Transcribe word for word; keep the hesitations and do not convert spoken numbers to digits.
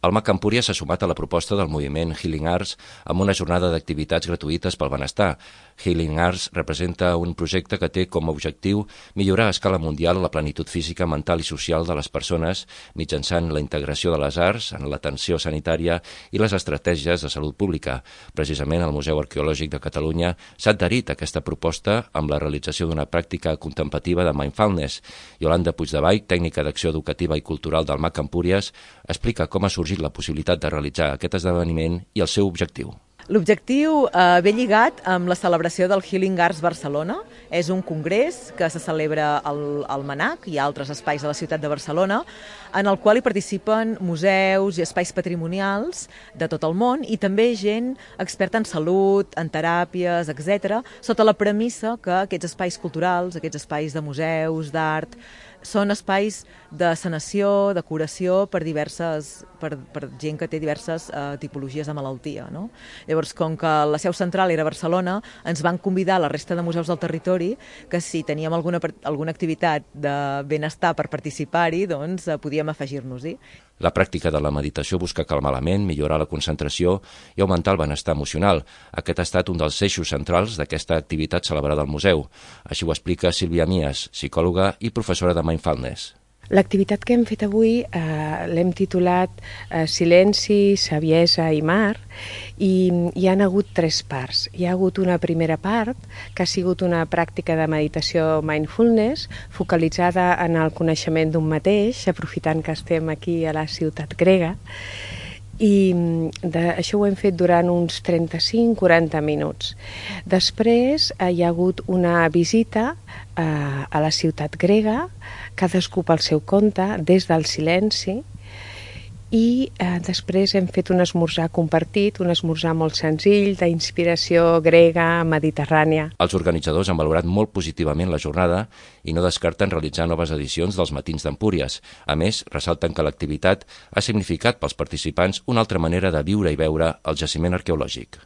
El MAC Empúries s'ha sumat a la proposta del moviment Healing Arts amb una jornada d'activitats gratuïtes pel benestar. Healing Arts representa un projecte que té com a objectiu millorar a escala mundial la plenitud física, mental i social de les persones mitjançant la integració de les arts en l'atenció sanitària i les estratègies de salut pública. Precisament el Museu Arqueològic de Catalunya s'ha adherit a aquesta proposta amb la realització d'una pràctica contemplativa de mindfulness. Yolanda Puigdevall, tècnica d'acció educativa i cultural del MAC Empúries, explica com ha sorgit la possibilitat de realitzar aquest esdeveniment i el seu objectiu. L'objectiu eh, ve lligat amb la celebració del Healing Arts Barcelona. És un congrés que se celebra al, al MANAC i a altres espais de la ciutat de Barcelona, en el qual hi participen museus i espais patrimonials de tot el món i també gent experta en salut, en teràpies, etcètera, sota la premissa que aquests espais culturals, aquests espais de museus, d'art, són espais de sanació, de curació per diverses, per, per gent que té diverses eh, tipologies de malaltia, no? Llavors, com que la seu central era a Barcelona, ens van convidar a la resta de museus del territori que si teníem alguna, alguna activitat de benestar per participar-hi, doncs eh, podíem afegir-nos-hi. La pràctica de la meditació busca calmar la ment, millorar la concentració i augmentar el benestar emocional. Aquest ha estat un dels eixos centrals d'aquesta activitat celebrada al museu. Així ho explica Sílvia Mies, psicòloga i professora de mindfulness. L'activitat que hem fet avui eh, l'hem titulat eh, Silenci, Saviesa i Mar i hi han hagut tres parts. Hi ha hagut una primera part que ha sigut una pràctica de meditació mindfulness focalitzada en el coneixement d'un mateix, aprofitant que estem aquí a la ciutat grega, i de, això ho hem fet durant uns trenta-cinc a quaranta minuts. Després eh, hi ha hagut una visita eh, a la ciutat grega, cadascú pel seu compte, des del silenci, i eh, després hem fet un esmorzar compartit, un esmorzar molt senzill, d'inspiració grega, mediterrània. Els organitzadors han valorat molt positivament la jornada i no descarten realitzar noves edicions dels Matins d'Empúries. A més, ressalten que l'activitat ha significat pels participants una altra manera de viure i veure el jaciment arqueològic.